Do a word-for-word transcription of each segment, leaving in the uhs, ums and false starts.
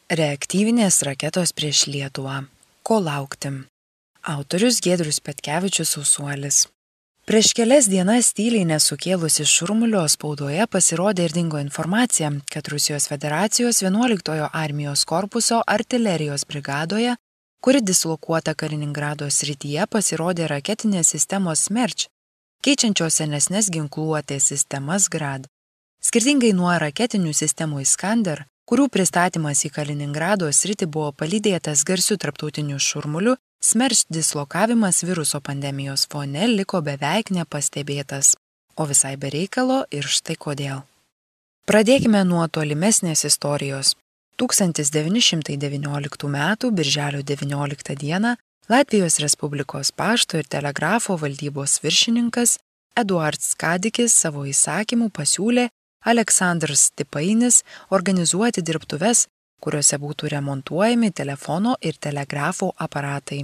Reaktyvinės raketos prieš Lietuvą. Ko laukti? Autorius Giedrius Petkevičius Sausuolis. Prieš kelias dienas tyliai nesukėlusi šurmulio spaudoje pasirodė ir dingo informacija, kad Rusijos federacijos vienuoliktojo armijos korpuso artilerijos brigadoje, kuri dislokuota Kaliningrado srityje, pasirodė raketinės sistemos Smerč, keičiančios senesnes ginkluotės sistemas Grad. Skirtingai nuo raketinių sistemų Iskander, kurių pristatymas į Kaliningrado sritį buvo palydėtas garsiu tarptautiniu šurmuliu, Smerč dislokavimas viruso pandemijos fone liko beveik nepastebėtas, o visai be reikalo ir štai kodėl. Pradėkime nuo tolimesnės istorijos. tūkstantis devyni šimtai devynioliktų metų birželio devynioliktą dieną Latvijos Respublikos pašto ir telegrafo valdybos viršininkas Eduards Kadikis savo įsakymu pasiūlė Aleksandras Tipainis organizuoti dirbtuves, kuriuose būtų remontuojami telefono ir telegrafo aparatai.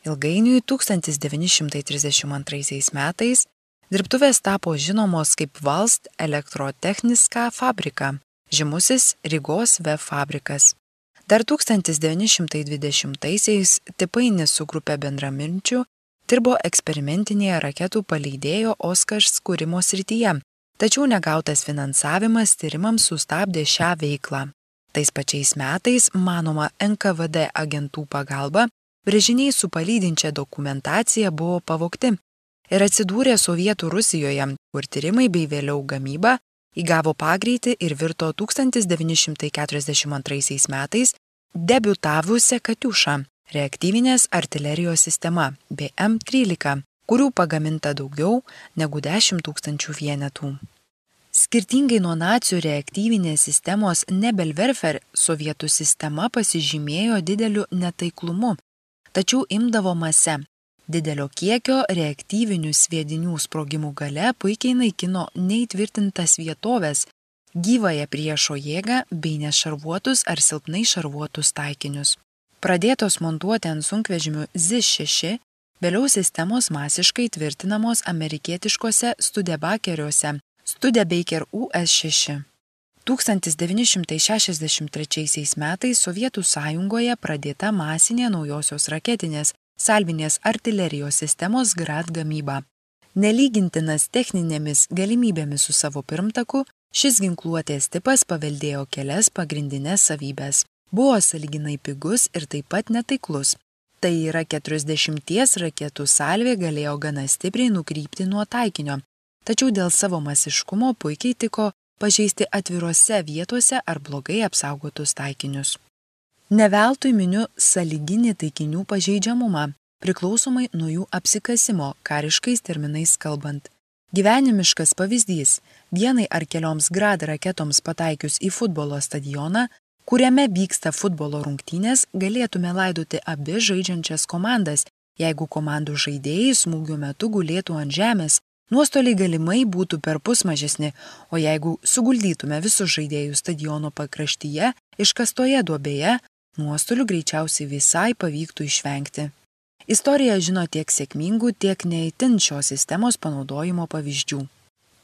Ilgainiui tūkstantis devyni šimtai trisdešimt antraisiais metais dirbtuvės tapo žinomos kaip Valst elektrotechniska fabrika, žymusis Rygos V fabrikas. Dar tūkstantis devyni šimtai dvidešimtaisiais Tipainis su grupe bendraminčių dirbo eksperimentinėje raketų paleidėjo Oskars kūrimo srityje, tačiau negautas finansavimas tyrimams sustabdė šią veiklą. Tais pačiais metais, manoma, N K V D agentų pagalba, brėžiniai su palydinčia dokumentacija buvo pavogti ir atsidūrė Sovietų Rusijoje, kur tyrimai bei vėliau gamyba įgavo pagreitį ir virto tūkstantis devyni šimtai keturiasdešimt antraisiais metais debiutavusią Katiušą, reaktyvinės artilerijos sistema B M trylika, kurių pagaminta daugiau negu dešimt tūkstančių vienetų. Skirtingai nuo nacių reaktyvinės sistemos Nebelwerfer, sovietų sistema pasižymėjo dideliu netaiklumu, tačiau imdavo mase. Didelio kiekio reaktyvinių sviedinių sprogimų gale puikiai naikino neįtvirtintas vietovės, gyvąją priešo jėgą bei nešarvuotus ar silpnai šarvuotus taikinius. Pradėtos montuoti ant sunkvežimių Z šeši, vėliau sistemos masiškai tvirtinamos amerikietiškose Studebakeriuose, Studebaker U S šeši. tūkstantis devyni šimtai šešiasdešimt trečiaisiais metais Sovietų sąjungoje pradėta masinė naujosios raketinės salvinės artilerijos sistemos Grad gamyba. Nelygintinas techninėmis galimybėmis su savo pirmtaku, šis ginkluotės tipas paveldėjo kelias pagrindinės savybės. Buvo sąlyginai pigus ir taip pat netaiklus. Tai yra keturiasdešimties raketų salvė galėjo gana stipriai nukrypti nuo taikinio, tačiau dėl savo masiškumo puikiai tiko pažeisti atvirose vietose ar blogai apsaugotus taikinius. Ne veltui miniu sąlyginį taikinių pažeidžiamumą, priklausomai nuo jų apsikasimo, kariškais terminais kalbant. Gyvenimiškas pavyzdys – vienai ar kelioms Grad raketoms pataikius į futbolo stadioną, kuriame vyksta futbolo rungtynės, galėtume laidoti abi žaidžiančias komandas, jeigu komandų žaidėjai smūgio metu gulėtų ant žemės, nuostoliai galimai būtų perpus mažesni, o jeigu suguldytume visus žaidėjus stadiono pakraštyje, iškastoje duobėje, nuostolių greičiausiai visai pavyktų išvengti. Istorija žino tiek sėkmingų, tiek neįtin šios sistemos panaudojimo pavyzdžių.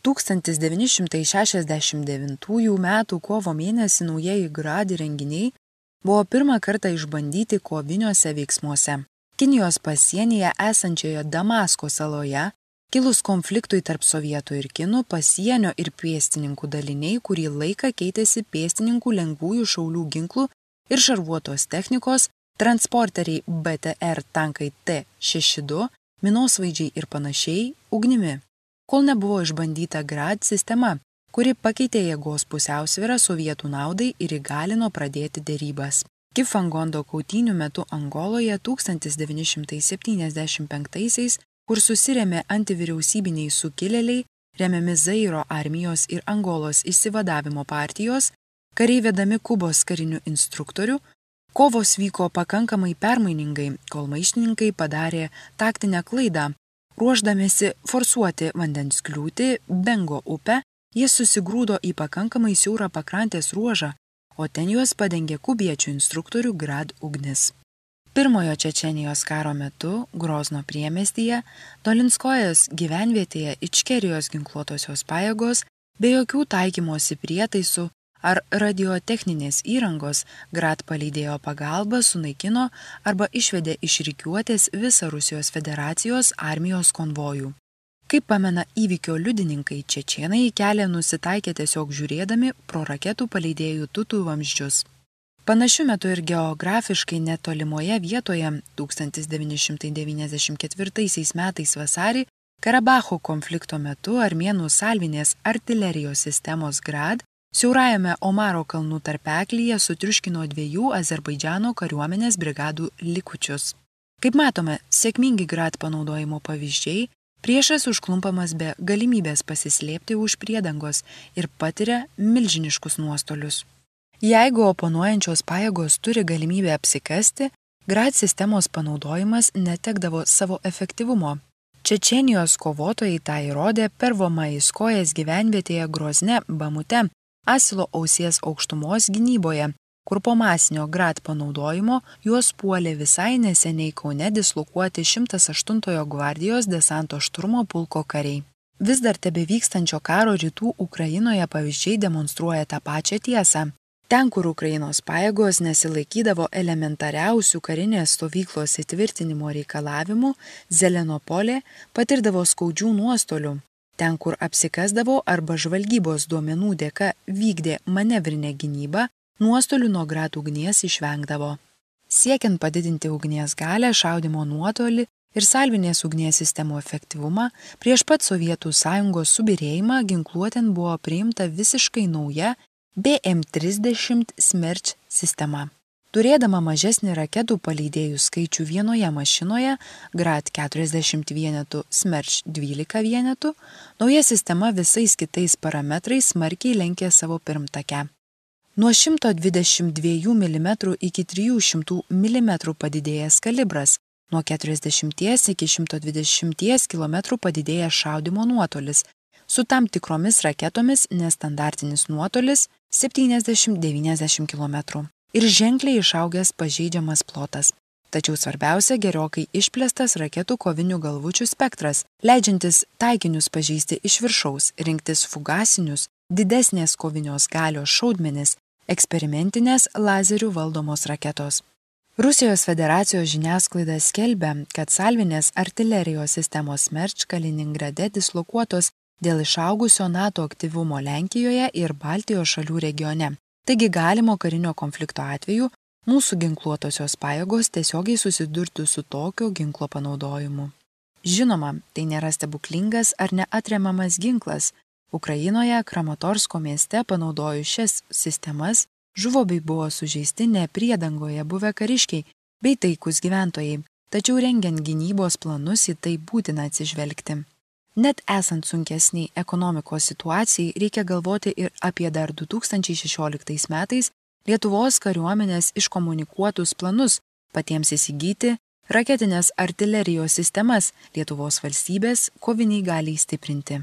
tūkstantis devyni šimtai šešiasdešimt devintųjų metų kovo mėnesį naujieji Grad įrenginiai buvo pirmą kartą išbandyti koviniuose veiksmuose. Kinijos pasienyje esančioje Damasko saloje kilus konfliktui tarp sovietų ir kinų, pasienio ir pėstininkų daliniai kurį laiką keitėsi pėstininkų lengvųjų šaulių ginklų ir šarvuotos technikos, transporteriai B T R tankai T šeši du, minosvaidžiai ir panašiai ugnimi, kol nebuvo išbandyta Grad sistema, kuri pakeitė jėgos pusiausvyrą sovietų naudai ir įgalino pradėti derybas. Kifangondo kautynių metu Angoloje tūkstantis devyni šimtai septyniasdešimt penktaisiais, kur susirėmė antivyriausybiniai sukilėliai, remiami Zairo armijos ir Angolos išsivadavimo partijos, kariai vedami Kubos karinių instruktorių, kovos vyko pakankamai permainingai, kol maištininkai padarė taktinę klaidą. Ruošdamėsi forsuoti vandens kliūtį Bengo upę, jie susigrūdo į pakankamai siaurą pakrantės ruožą, o ten juos padengė kubiečių instruktorių Grad ugnis. Pirmojo Čečenijos karo metu Grozno priemiestyje, Dolinskojos gyvenvietėje Ičkerijos ginkluotosios pajėgos be jokių taikymosi prietaisų ar radiotechninės įrangos Grad paleidėjo pagalba sunaikino arba išvedė iš rikiuotės visą Rusijos federacijos armijos konvojų. Kaip pamena įvykio liudininkai, čečėnai į kelią nusitaikė tiesiog žiūrėdami pro raketų paleidėjų tutų vamzdžius. Panašiu metu ir geografiškai netolimoje vietoje tūkstantis devyni šimtai devyniasdešimt ketvirtaisiais metais vasarį Karabacho konflikto metu armėnų salvinės artilerijos sistemos Grad siaurajame Omaro kalnų tarpeklyje sutriuškino dviejų Azerbaidžano kariuomenės brigadų likučius. Kaip matome, sėkmingi Grad panaudojimo pavyzdžiai, priešas užklumpamas be galimybės pasislėpti už priedangos ir patiria milžiniškus nuostolius. Jeigu oponuojančios pajėgos turi galimybę apsikasti, Grad sistemos panaudojimas netekdavo savo efektyvumo. Čečėnijos kovotojai tą įrodė Pervomaiskojas gyvenvietėje Grozne, Bamute, Asilo ausies aukštumos gynyboje, kur po masinio Grad panaudojimo juos puolė visai neseniai Kaune dislokuoti šimtas aštuntojo gvardijos desanto šturmo pulko kariai. Vis dar tebevykstančio karo rytų Ukrainoje pavyzdžiai demonstruoja tą pačią tiesą. Ten, kur Ukrainos pajėgos nesilaikydavo elementariausių karinės stovyklos įtvirtinimo reikalavimų, Zelenopolė patirdavo skaudžių nuostolių. Ten, kur apsikasdavo arba žvalgybos duomenų dėka vykdė manevrinę gynybą, nuostolių nuo Grad ugnies išvengdavo. Siekiant padidinti ugnies galę, šaudymo nuotolį ir salvinės ugnies sistemų efektyvumą, prieš pat Sovietų sąjungos subyrėjimą ginkluotėn buvo priimta visiškai nauja B M trisdešimt Smerč sistema. Turėdama mažesnį raketų paleidėjų skaičių vienoje mašinoje, Grad keturiasdešimt vienetų, Smerč dvylika vienetų, nauja sistema visais kitais parametrais smarkiai lenkė savo pirmtakę. Nuo šimto dvidešimt dviejų milimetrų iki trijų šimtų milimetrų padidėjęs kalibras, nuo keturiasdešimties iki šimto dvidešimties kilometrų padidėjęs šaudymo nuotolis, su tam tikromis raketomis nestandartinis nuotolis septyniasdešimt devyniasdešimt kilometrų ir ženkliai išaugęs pažeidžiamas plotas. Tačiau svarbiausia gerokai išplėstas raketų kovinių galvučių spektras, leidžiantis taikinius pažeisti iš viršaus, rinktis fugasinius, didesnės kovinios galios šaudmenis, eksperimentinės lazerių valdomos raketos. Rusijos federacijos žiniasklaida skelbia, kad salvinės artilerijos sistemos Smerč Kaliningrade dislokuotos dėl išaugusio NATO aktyvumo Lenkijoje ir Baltijos šalių regione. Taigi galimo karinio konflikto atveju mūsų ginkluotosios pajėgos tiesiogiai susidurtų su tokio ginklo panaudojimu. Žinoma, tai nėra stebuklingas ar neatremiamas ginklas. Ukrainoje Kramatorsko mieste panaudojus šias sistemas žuvo bei buvo sužeisti ne priedangoje buvę kariškiai bei taikūs gyventojai, tačiau rengiant gynybos planus į tai būtina atsižvelgti. Net esant sunkesniai ekonomikos situacijai, reikia galvoti ir apie dar du tūkstančiai šešioliktais metais Lietuvos kariuomenės iškomunikuotus planus patiems įsigyti raketinės artilerijos sistemas Lietuvos valstybės koviniai galiai stiprinti.